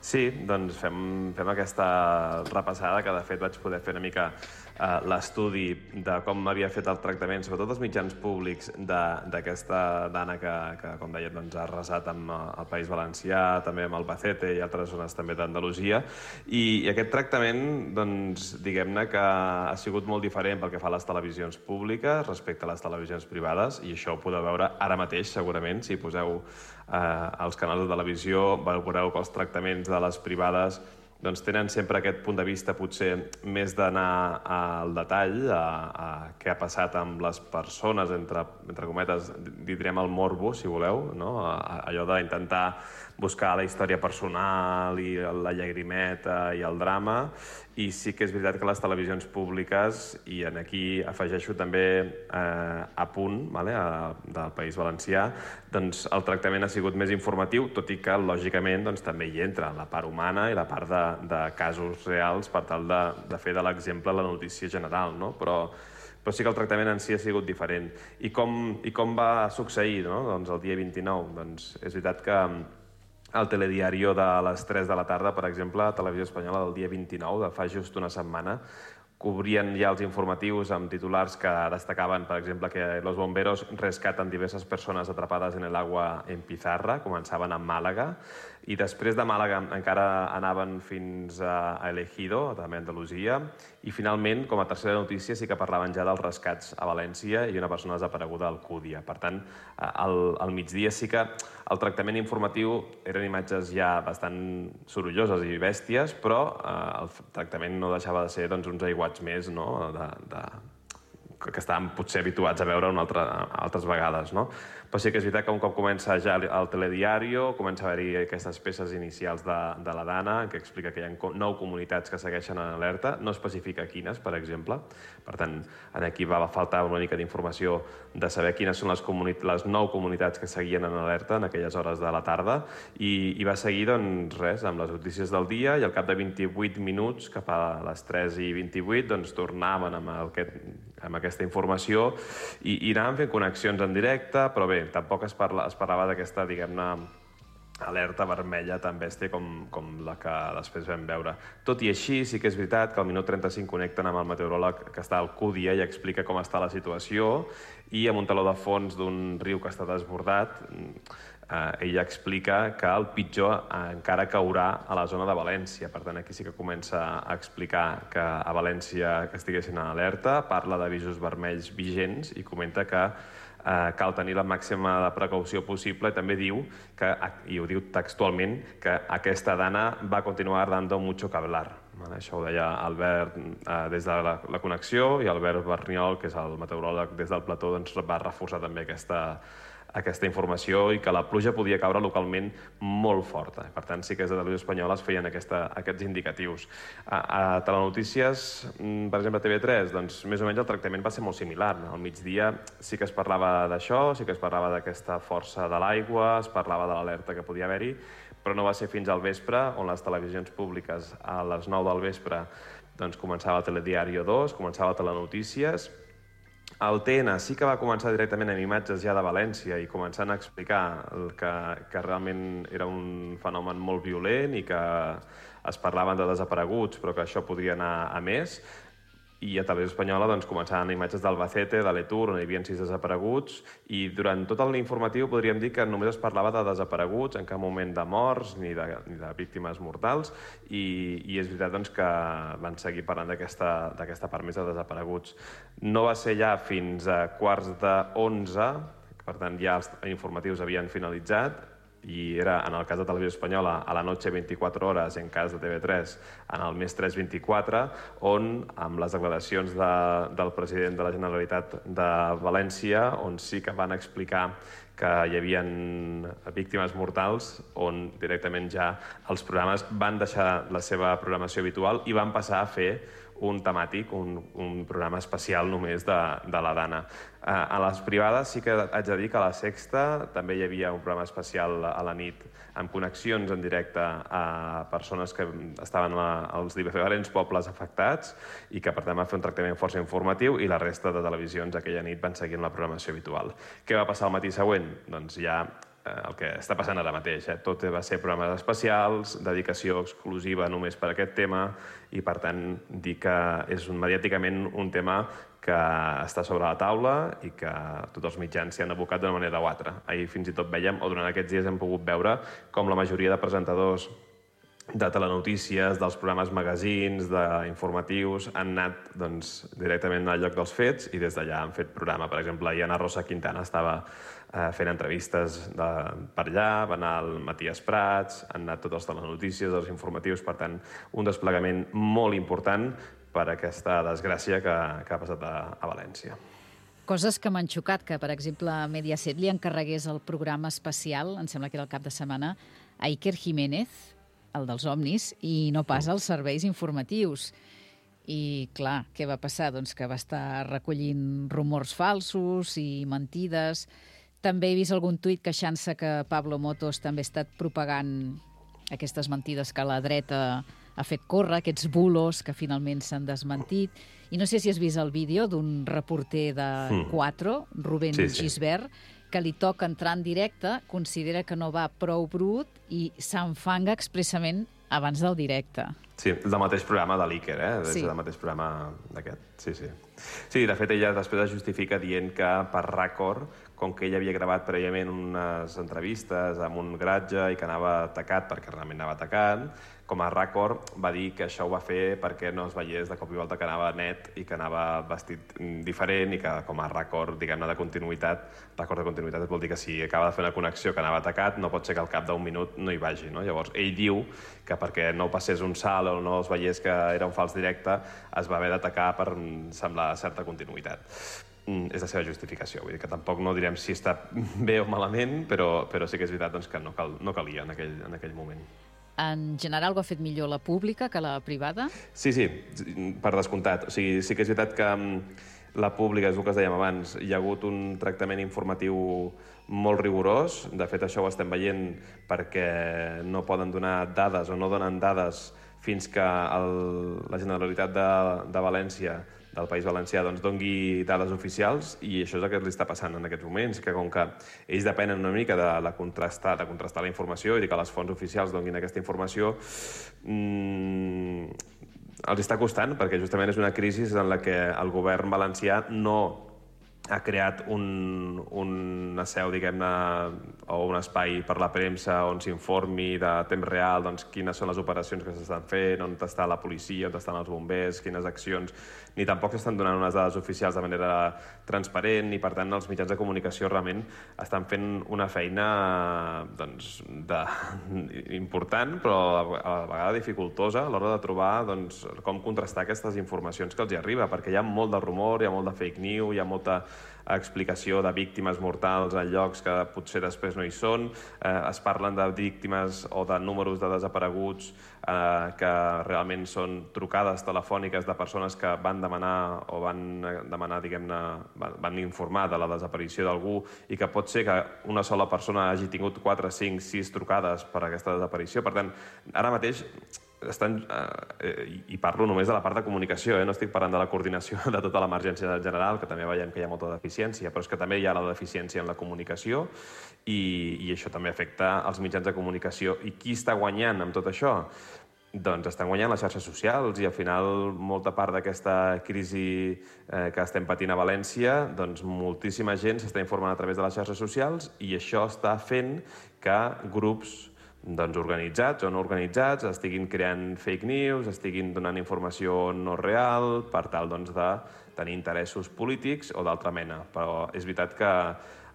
Sí, doncs fem, fem aquesta repassada que de fet vaig poder fer una mica eh, l'estudi de com havia fet el tractament, sobretot els mitjans públics d'aquesta dana que, que com deia, doncs, ha arrasat amb el País Valencià, també amb Albacete i altres zones també d'Andalusia. I, I aquest tractament, doncs, diguem-ne que ha sigut molt diferent pel que fa a les televisions públiques respecte a les televisions privades, i això ho podeu veure ara mateix, segurament, si poseu eh, als canals de televisió, veureu que els tractaments de les privades doncs tenen sempre aquest punt de vista potser més d'anar al detall, a, a què ha passat amb les persones, entre, entre cometes, direm el morbo, si voleu, no? a, a, allò d'intentar buscar la història personal i la llagrimeta i el drama, i sí que és veritat que les televisions públiques, i en aquí afegeixo també eh, a punt, vale, a, del País Valencià, doncs el tractament ha sigut més informatiu, tot i que, lògicament, doncs, també hi entra la part humana i la part de, de casos reals per tal de, de fer de l'exemple la notícia general, no? Però, però sí que el tractament en si ha sigut diferent. I com, i com va succeir, no? Doncs el dia vint-i-nou? Doncs és veritat que el telediario de les tres de la tarda, per exemple, a Televisió Espanyola del dia vint-i-nou, de fa just una setmana, cobrien ja els informatius amb titulars que destacaven, per exemple, que los bomberos rescatan diverses persones atrapades en el agua en Pizarra, començaven a Màlaga, i després de Màlaga encara anaven fins a Elegido, també a Andalusia, i finalment, com a tercera notícia, sí que parlaven ja dels rescats a València i una persona desapareguda a Alcúdia. Per tant, al, al migdia sí que el tractament informatiu eren imatges ja bastant sorolloses i bèsties, però eh, el tractament no deixava de ser doncs, uns aiguats més, no? de, de, que estàvem potser habituats a veure una altra, altres vegades, no? Però sí que és veritat que un cop comença ja el telediario, comença a haver-hi aquestes peces inicials de, de la Dana, que explica que hi ha nou comunitats que segueixen en alerta, no especifica quines, per exemple. Per tant, aquí va faltar una mica d'informació de saber quines són les, les nou comunitats que seguien en alerta en aquelles hores de la tarda, i, i va seguir, doncs, res, amb les notícies del dia, i al cap de vint-i-vuit minuts, cap a les tres i vint-i-vuit, doncs tornaven amb, aquest, amb aquesta informació i, i anaven fent connexions en directe, però bé, tampoc es, parla, es parlava d'aquesta, diguem-ne, alerta vermella tan bèstia com, com la que després vam veure. Tot i així, sí que és veritat que al minut trenta-cinc connecten amb el meteoròleg que està a Alcúdia i explica com està la situació, i amb un teló de fons d'un riu que està desbordat, eh, ella explica que el pitjor encara caurà a la zona de València. Per tant, aquí sí que comença a explicar que a València que estiguessin en alerta, parla d'avisos vermells vigents i comenta que eh, cal tenir la màxima de precaució possible, i també diu, que, i ho diu textualment, que aquesta dana va continuar dando mucho que hablar. Això ho deia Albert eh, des de la, la connexió, i Albert Berniol, que és el meteoròleg des del plató, doncs, va reforçar també aquesta, aquesta informació, i que la pluja podia caure localment molt forta. Per tant, sí que des de Televisió Espanyola es feien aquesta, aquests indicatius. A, a Telenotícies, per exemple, a T V tres, doncs més o menys el tractament va ser molt similar. Al migdia sí que es parlava d'això, sí que es parlava d'aquesta força de l'aigua, es parlava de l'alerta que podia haver-hi, però no va ser fins al vespre, on les televisions públiques a les nou del vespre doncs, començava el Telediario dos, començava el Telenotícies. El T N sí que va començar directament amb imatges ja de València i començant a explicar que, que realment era un fenomen molt violent i que es parlaven de desapareguts, però que això podria anar a més. I a Televisió Espanyola doncs, començaven imatges d'Albacete, de l'Etur, on hi havia sis desapareguts, i durant tot l'informatiu podríem dir que només es parlava de desapareguts, en cap moment de morts ni de, ni de víctimes mortals, i, i és veritat doncs, que van seguir parlant d'aquesta part més de desapareguts. No va ser ja fins a quarts d'onze, per tant ja els informatius havien finalitzat, i era, en el cas de Televisió Espanyola, a la Noche vint-i-quatre hores, en cas de T V tres, en el Més tres vint-i-quatre, on, amb les declaracions de, del president de la Generalitat de València, on sí que van explicar que hi havia víctimes mortals, on directament ja els programes van deixar la seva programació habitual i van passar a fer un temàtic, un, un programa especial només de, de la Dana. A les privades sí que haig de dir que a la Sexta també hi havia un programa especial a la nit amb connexions en directe a persones que estaven als diferents pobles afectats i que per tant va fer un tractament força informatiu, i la resta de televisions aquella nit van seguir la programació habitual. Què va passar el matí següent? Doncs ja el que està passant ara mateix. Eh? Tot va ser programes especials, dedicació exclusiva només per a aquest tema, i per tant dir que és un, mediàticament un tema que està sobre la taula i que tots els mitjans s'hi han abocat d'una manera o altra. Ahir fins i tot veiem, o durant aquests dies hem pogut veure, com la majoria de presentadors de telenotícies, dels programes magazins, d'informatius, han anat doncs, directament al lloc dels fets i des d'allà han fet programa. Per exemple, ahir Ana Rosa Quintana estava eh, fent entrevistes de, per allà, va anar el Matías Prats, han anat tots els telenotícies, els informatius, per tant, un desplegament molt important per aquesta desgràcia que, que ha passat a, a València. Coses que m'han xocat, que per exemple Mediaset li encarregués el programa especial, em sembla que era el cap de setmana, a Iker Jiménez, el dels Omnis, i no pas als serveis informatius. I, clar, què va passar? Doncs que va estar recollint rumors falsos i mentides. També he vist algun tuit queixant-se que Pablo Motos també ha estat propagant aquestes mentides que la dreta ha fet córrer, aquests bulos que finalment s'han desmentit. I no sé si has vist el vídeo d'un reporter de quatre, Rubén sí, sí. Gisbert, que li toca entrar en directe, considera que no va prou brut i s'enfanga expressament abans del directe. Sí, del mateix programa de l'Iker, eh? Sí. Del mateix programa d'aquest, sí, sí. Sí, de fet, ella després es justifica dient que per rècord, com que ella havia gravat prèviament unes entrevistes amb un garatge i que anava atacat perquè realment anava atacant, com a rècord va dir que això ho va fer perquè no es veiés de cop i volta que anava net i que anava vestit diferent, i que com a rècord, diguem-ne, de continuïtat, rècord de continuïtat vol dir que si acaba de fer una connexió que anava atacat, no pot ser que al cap d'un minut no hi vagi, no? Llavors, ell diu que perquè no passés un salt o no es veiés que era un fals directe, es va haver d'atacar per semblar certa continuïtat. Mm, és la seva justificació, vull dir que tampoc no direm si està bé o malament, però, però sí que és veritat doncs, que no, cal, no calia en aquell, en aquell moment. En general ho ha fet millor la pública que la privada? Sí, sí, per descomptat. O sigui, sí que és veritat que la pública, és el que es dèiem abans, hi ha hagut un tractament informatiu molt rigorós. De fet, això ho estem veient perquè no poden donar dades o no donen dades fins que el, la Generalitat de, de València, del País Valencià, doncs dongui dades oficials, i això és el que li està passant en aquests moments, que com que ells depenen una mica de, de, contrastar, de contrastar la informació i de que les fonts oficials donguin aquesta informació, mmm, els està costant, perquè justament és una crisi en la que el govern valencià no ha creat un, una seu, diguem-ne, o un espai per la premsa on s'informi de temps real doncs, quines són les operacions que s'estan fent, on està la policia, on estan els bombers, quines accions, ni tampoc s'estan donant unes dades oficials de manera transparent, i per tant els mitjans de comunicació realment estan fent una feina doncs, de, important, però a la vegada dificultosa a l'hora de trobar doncs, com contrastar aquestes informacions que els hi arriba, perquè hi ha molt de rumor, hi ha molt de fake news, hi ha molta explicació de víctimes mortals en llocs que potser després no hi són, eh, es parlen de víctimes o de números de desapareguts eh, que realment són trucades telefòniques de persones que van demanar o van demanar, diguem-ne, van, van informar de la desaparició d'algú, i que pot ser que una sola persona hagi tingut quatre, cinc, sis trucades per aquesta desaparició. Per tant, ara mateix estan, eh, i parlo només de la part de comunicació, eh? No estic parlant de la coordinació de tota l'emergència general, que també veiem que hi ha molta deficiència, però és que també hi ha la deficiència en la comunicació, i, i això també afecta els mitjans de comunicació. I qui està guanyant amb tot això? Doncs estan guanyant les xarxes socials, i al final molta part d'aquesta crisi eh, que estem patint a València, doncs moltíssima gent s'està informant a través de les xarxes socials, i això està fent que grups doncs, organitzats o no organitzats estiguin creant fake news, estiguin donant informació no real per tal doncs, de tenir interessos polítics o d'altra mena. Però és veritat que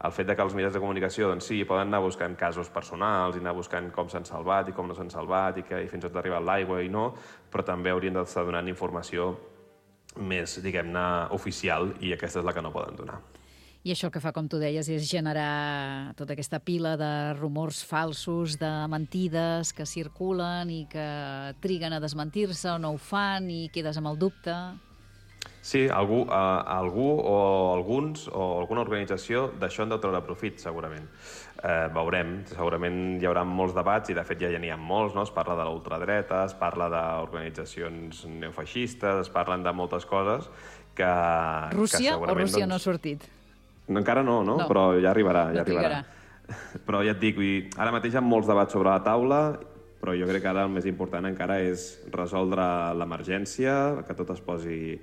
el fet de que els mitjans de comunicació, doncs sí, poden anar buscant casos personals i anar buscant com s'han salvat i com no s'han salvat i, que, i fins on ha arribat l'aigua i no, però també haurien d'estar donant informació més, diguem-ne, oficial, i aquesta és la que no poden donar. I això que fa, com tu deies, és generar tota aquesta pila de rumors falsos, de mentides que circulen i que triguen a desmentir-se o no ho fan i quedes amb el dubte. Sí, algú, uh, algú o alguns o alguna organització d'això han de treure profit, segurament. Eh, veurem, segurament hi haurà molts debats i de fet ja n'hi ha molts, no? Es parla de la ultradreta, es parla d'organitzacions neofeixistes, es parlen de moltes coses que... Rússia que o Rússia doncs... no ha sortit? Encara no, no, no, però ja arribarà. Ja no arribarà. Però ja et dic, ara mateix hi ha molts debats sobre la taula, però jo crec que ara el més important encara és resoldre l'emergència, que tot es posi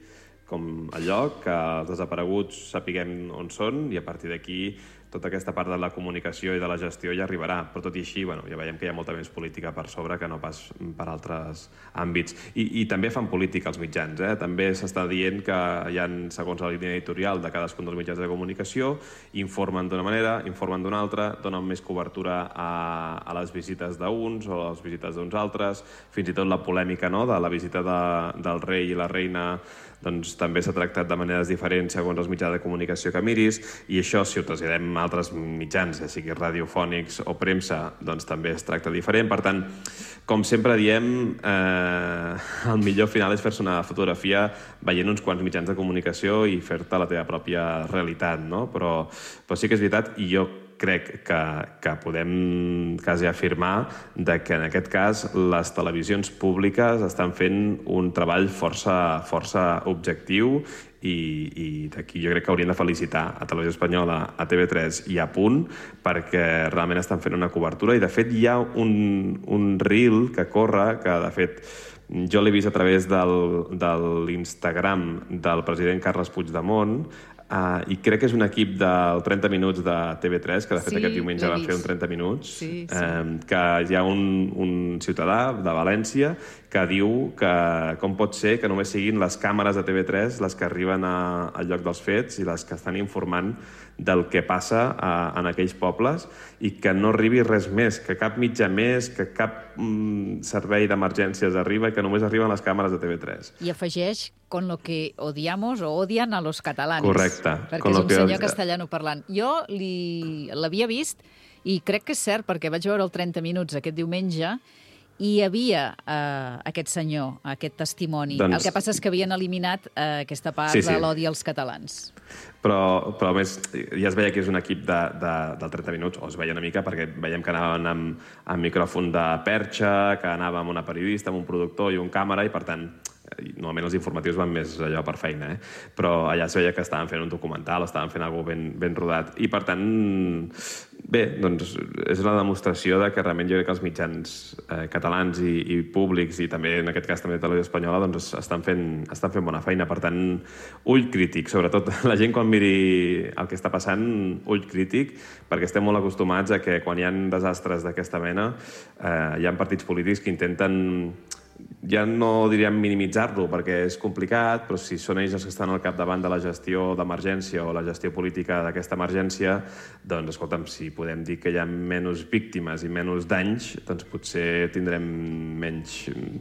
com a lloc, que els desapareguts sapiguem on són i a partir d'aquí tota aquesta part de la comunicació i de la gestió ja arribarà. Però tot i així, bueno, ja veiem que hi ha molta més política per sobre que no pas per altres àmbits. I, i també fan política els mitjans, eh? També s'està dient que hi ha, segons la línia editorial de cadascun dels mitjans de comunicació, informen d'una manera, informen d'una altra, donen més cobertura a, a les visites d'uns o a les visites d'uns altres, fins i tot la polèmica, no?, de la visita de, del rei i la reina, doncs també s'ha tractat de maneres diferents segons els mitjans de comunicació que miris, i això, si ho traslladem a altres mitjans, ja sigui radiofònics o premsa, doncs també es tracta diferent. Per tant, com sempre diem, eh, el millor final és fer-se una fotografia veient uns quants mitjans de comunicació i fer-te la teva pròpia realitat, no? Però, però sí que és veritat, i jo crec que, que podem quasi afirmar de que en aquest cas les televisions públiques estan fent un treball força, força objectiu i, i d'aquí jo crec que haurien de felicitar a Televisió Espanyola, a T V tres i a Punt, perquè realment estan fent una cobertura i de fet hi ha un, un reel que corre, que de fet jo l'he vist a través del, de l'Instagram del president Carles Puigdemont, Uh, i crec que és un equip del trenta minuts de T V tres, que de fet sí, aquest diumenge van fer un trenta minuts, sí, sí. Um, que hi ha un, un ciutadà de València que diu que com pot ser que només siguin les càmeres de T V tres les que arriben a, al lloc dels fets i les que estan informant del que passa a, en aquells pobles i que no arribi res més, que cap mitjà més, que cap mm, servei d'emergències arriba i que només arriben les càmeres de T V tres. I afegeix con lo que odiamos o odian a los catalanes. Correcte. Perquè és un senyor castellano parlant. Jo l'havia vist i crec que és cert perquè vaig veure el trenta minuts aquest diumenge i hi havia uh, aquest senyor, aquest testimoni. Doncs... El que passa és que havien eliminat uh, aquesta part sí, sí. de l'odi als catalans. Però, però a més, ja es veia que és un equip de, de, del trenta minuts, o es veia una mica, perquè veiem que anaven amb, amb micròfon de perxa, que anava amb una periodista, amb un productor i un càmera, i per tant, normalment els informatius van més allò per feina, eh? Però allà es veia que estaven fent un documental, estaven fent alguna cosa ben, ben rodat, i per tant, bé, doncs és una demostració de que realment jo crec que els mitjans eh, catalans i, i públics, i també en aquest cas també de Televisió Espanyola, doncs estan fent, estan fent bona feina. Per tant, ull crític, sobretot la gent quan miri el que està passant, ull crític, perquè estem molt acostumats a que quan hi ha desastres d'aquesta mena eh, hi ha partits polítics que intenten, ja no diríem minimitzar-lo perquè és complicat, però si són ells els que estan al capdavant de la gestió d'emergència o la gestió política d'aquesta emergència, doncs, escolta'm, si podem dir que hi ha menys víctimes i menys danys, doncs potser tindrem menys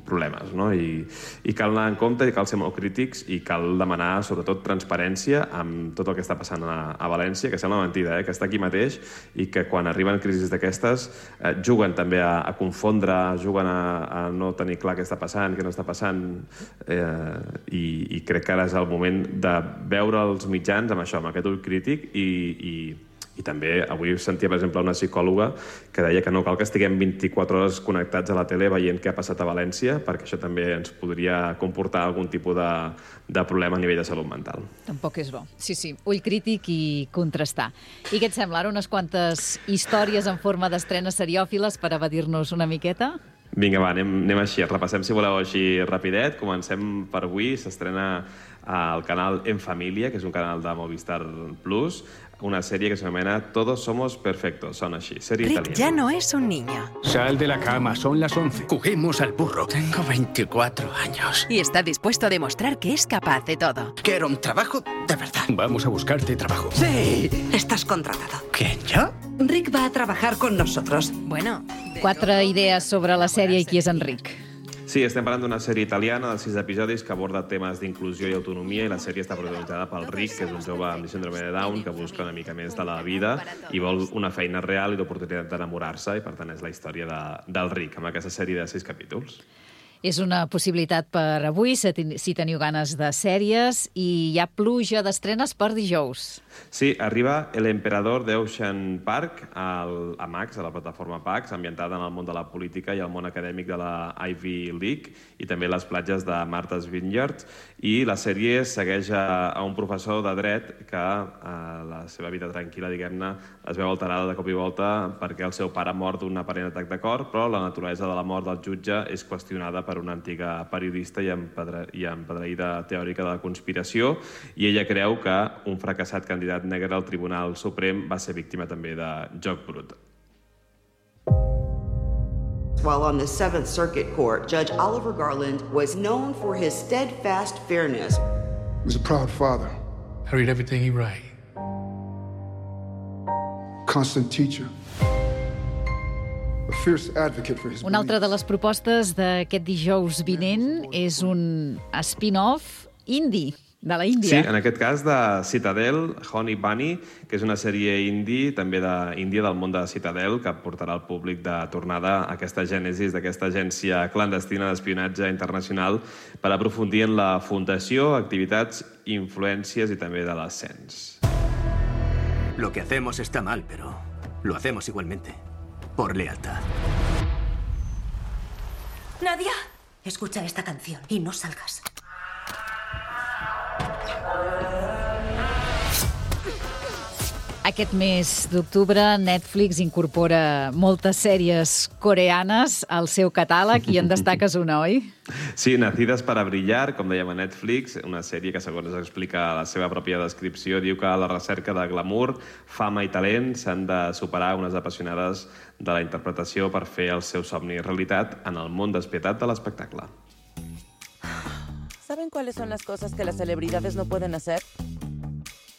problemes, no? I, i cal anar en compte i cal ser molt crítics i cal demanar, sobretot, transparència amb tot el que està passant a, a València, que sembla mentida, eh? Que està aquí mateix i que quan arriben crisis d'aquestes eh, juguen també a, a confondre, juguen a, a no tenir clar què està passant, què no està passant, eh, i, i crec que ara és el moment de veure els mitjans amb això, amb aquest ull crític, i, i, i també avui sentia, per exemple, una psicòloga que deia que no cal que estiguem vint-i-quatre hores connectats a la tele veient què ha passat a València, perquè això també ens podria comportar algun tipus de, de problema a nivell de salut mental. Tampoc és bo. Sí, sí, ull crític i contrastar. I què et sembla? Ara unes quantes històries en forma d'estrenes seriòfiles per evadir-nos una miqueta? Vinga, va, anem, anem així. Repassem, si voleu, així rapidet. Comencem per avui. S'estrena al canal En Família, que és un canal de Movistar Plus. una sèrie que s'anomena Todos somos perfectos, sona així, sèrie Rick italiana. ya no es un niño. Sal de la cama, son las once. Juguemos al burro. Tengo veinticuatro años. Y está dispuesto a demostrar que es capaz de todo. Quiero un trabajo de verdad. Vamos a buscarte trabajo. ¡Sí! Estás contratado. ¿Quién, yo? Rick va a trabajar con nosotros. Bueno... Quatre idees sobre la sèrie i qui és en Rick. Sí, estem parlant d'una sèrie italiana de sis episodis que aborda temes d'inclusió i autonomia i la sèrie està protagonitzada pel Rick, que és un jove amb síndrome de Down que busca una mica més de la vida i vol una feina real i l'oportunitat d'enamorar-se i per tant és la història de, del Rick amb aquesta sèrie de sis capítols. És una possibilitat per avui, si teniu ganes de sèries, i hi ha pluja d'estrenes per dijous. Sí, arriba El Emperador d'Ocean Park al, a Max, a la plataforma Pax, ambientada en el món de la política i el món acadèmic de la Ivy League i també les platges de Martha's Vineyard. I la sèrie segueix a, a un professor de dret que a la seva vida tranquil·la, diguem-ne, es veu alterada de cop i volta perquè el seu pare mor d'un aparent atac de cor, però la naturalesa de la mort del jutge és qüestionada per una antiga periodista i empedreïda teòrica de la conspiració, i ella creu que un fracassat candidat negre al Tribunal Suprem va ser víctima també de joc brut. While on the Seventh Circuit Court, Judge Oliver Garland was known for his steadfast fairness. He was a proud father. I read everything he wrote. Constant teacher. A fierce advocate for his Una altra de les propostes d'aquest dijous vinent és un spin-off indie, de la Índia. Sí, en aquest cas de Citadel, Honey Bunny, que és una sèrie indie, també d'Índia, del món de Citadel, que portarà al públic de tornada a aquesta gènesis d'aquesta agència clandestina d'espionatge internacional per aprofundir en la fundació, activitats, influències i també de l'ascens. Lo que hacemos está mal, pero lo hacemos igualmente. Por lealtad. Nadia, escucha esta canción y no salgas. Aquest mes d'octubre Netflix incorpora moltes sèries coreanes al seu catàleg i en destaques una, oi? Sí, Nacides para brillar, com dèiem a Netflix, una sèrie que, segons explica la seva pròpia descripció, diu que a la recerca de glamour, fama i talent s'han de superar unes apassionades de la interpretació per fer el seu somni realitat en el món despietat de l'espectacle. ¿Saben cuáles son las cosas que las celebridades no pueden hacer?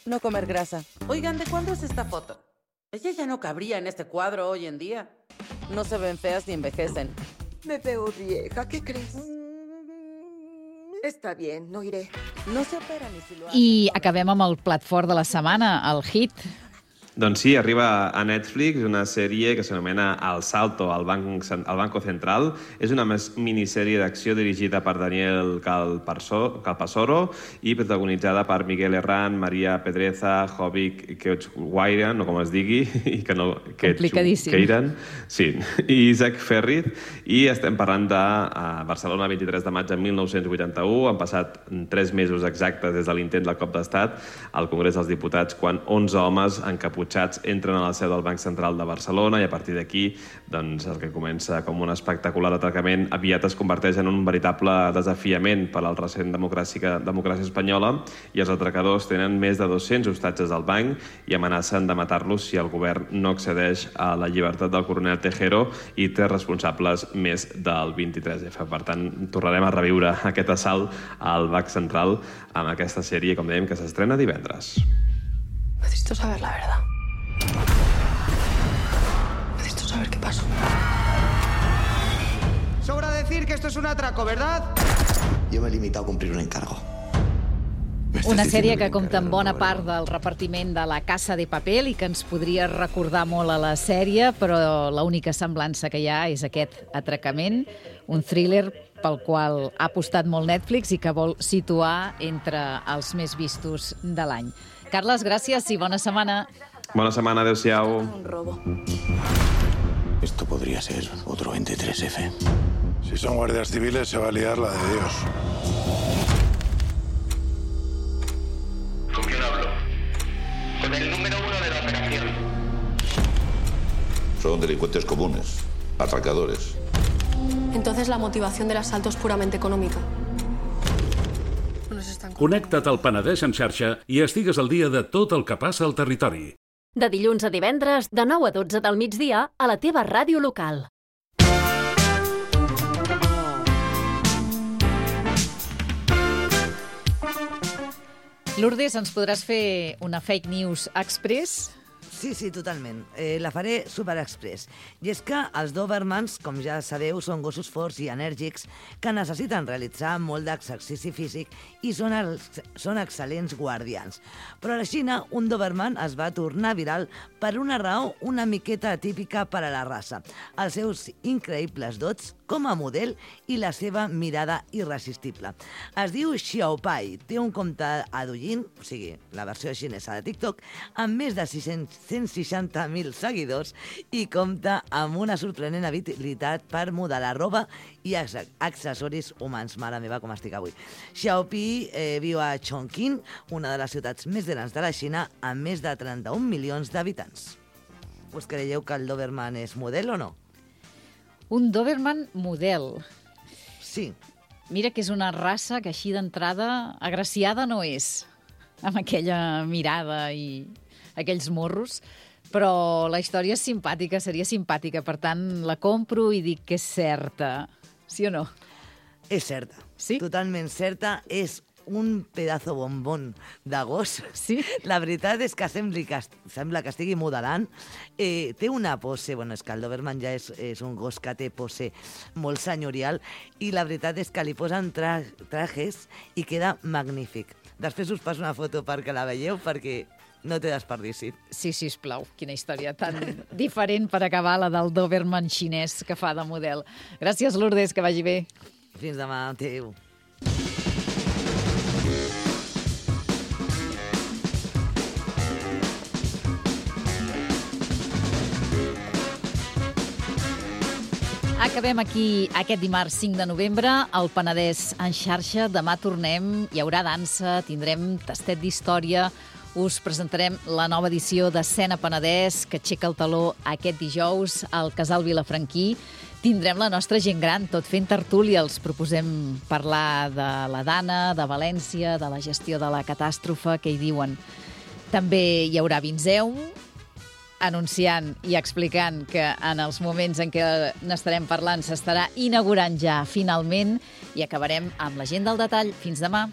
No comer grasa. Oigan, ¿de cuándo es esta foto? Ella ya no cabría en este cuadro hoy en día. No se ven feas ni envejecen. Me veo vieja, ¿qué crees? Está bien, no iré. No se operan ni si lo hacen. I acabem amb el plat fort de la setmana, el hit. Doncs sí, arriba a Netflix una sèrie que s'anomena El Salto al Banco Central. És una minissèrie d'acció dirigida per Daniel Calpasoro i protagonitzada per Miguel Herrán, Maria Pedreza, Jovic Quechguairan, o com es digui, i que no... Complicadíssim. Sí, i Isaac Ferrit. I estem parlant de Barcelona, vint-i-tres de maig de mil nou-cents vuitanta-u. Han passat tres mesos exactes des de l'intent del cop d'estat al Congrés dels Diputats, quan onze homes encaputxats entren a la seu del Banc Central de Barcelona i a partir d'aquí doncs, el que comença com un espectacular atracament aviat es converteix en un veritable desafiament per al recent democràcia, democràcia espanyola i els atracadors tenen més de dos-cents hostatges al banc i amenacen de matar-los si el govern no accedeix a la llibertat del coronel Tejero i té responsables més del vint-i-tres efa. Per tant, tornarem a reviure aquest assalt al Banc Central amb aquesta sèrie, com dèiem, que s'estrena divendres. Necesito saber la verdad. Necesito saber qué pasó. Sobra decir que esto es un atraco, ¿verdad? Yo me he limitado a cumplir un encargo. Una sèrie que compta amb bona part del repartiment de La Casa de Papel i que ens podria recordar molt a la sèrie, però l'única semblança que hi ha és aquest atracament, un thriller pel qual ha apostat molt Netflix i que vol situar entre els més vistos de l'any. Carles, gràcies i bona setmana. Bona setmana, adéu-siau. Un robo. Esto podría ser otro veintitrés efe. Si son guardias civiles se va a liar la de Dios. ¿Con quién hablo? Con el número uno de la operación. Son delincuentes comunes, atracadores. Entonces la motivación del asalto es puramente económica. Nos están Connecta't al Penedès en xarxa i estigues al dia de tot el que passa al territori. De dilluns a divendres, de nou a dotze del migdia, a la teva ràdio local. Lourdes, ens podràs fer una fake news express? Sí, sí, totalment. Eh, la faré super express. I és que els Dobermans, com ja sabeu, són gossos forts i enèrgics que necessiten realitzar molt d'exercici físic i són, els, són excel·lents guardians. Però a la Xina, un Doberman es va tornar viral per una raó una miqueta atípica per a la raça. Els seus increïbles dots com a model i la seva mirada irresistible. Es diu Xiaopai, té un compte a Douyin, o sigui, la versió xinesa de TikTok, amb més de sis-cents cent seixanta mil seguidors i compta amb una sorprenent habilitat per modelar roba i accessoris humans. Mare meva, com estic avui. Xiaopi eh, viu a Chongqing, una de les ciutats més grans de la Xina, amb més de trenta-un milions d'habitants. Us creieu que el Doberman és model o no? Un Doberman model. Sí. Mira que és una raça que així d'entrada agraciada no és, amb aquella mirada i aquells morros, però la història és simpàtica, seria simpàtica, per tant la compro i dic que és certa. Sí o no? És certa. Sí? Totalment certa. És un pedazo bombón de gos. Sí? La veritat és que sembla que, sembla que estigui modelant. Eh, té una pose, bueno, és que el Doberman ja és, és un gos que té pose molt senyorial i la veritat és que li posen tra trajes i queda magnífic. Després us passo una foto perquè la veieu, perquè no té desperdici. Sí, sisplau, quina història tan diferent per acabar la del Doberman xinès que fa de model. Gràcies, Lourdes, que vagi bé. Fins demà, adéu. Acabem aquí aquest dimarts cinc de novembre, al Penedès en xarxa. Demà tornem, hi haurà dansa, tindrem tastet d'història, us presentarem la nova edició d'Escena Penedès, que aixeca el taló aquest dijous al Casal Vilafranquí. Tindrem la nostra gent gran, tot fent tertúlia. Els proposem parlar de la Dana, de València, de la gestió de la catàstrofe, que hi diuen. També hi haurà Vinzeum, anunciant i explicant que en els moments en què n'estarem parlant s'estarà inaugurant ja finalment, i acabarem amb la gent del detall. Fins demà.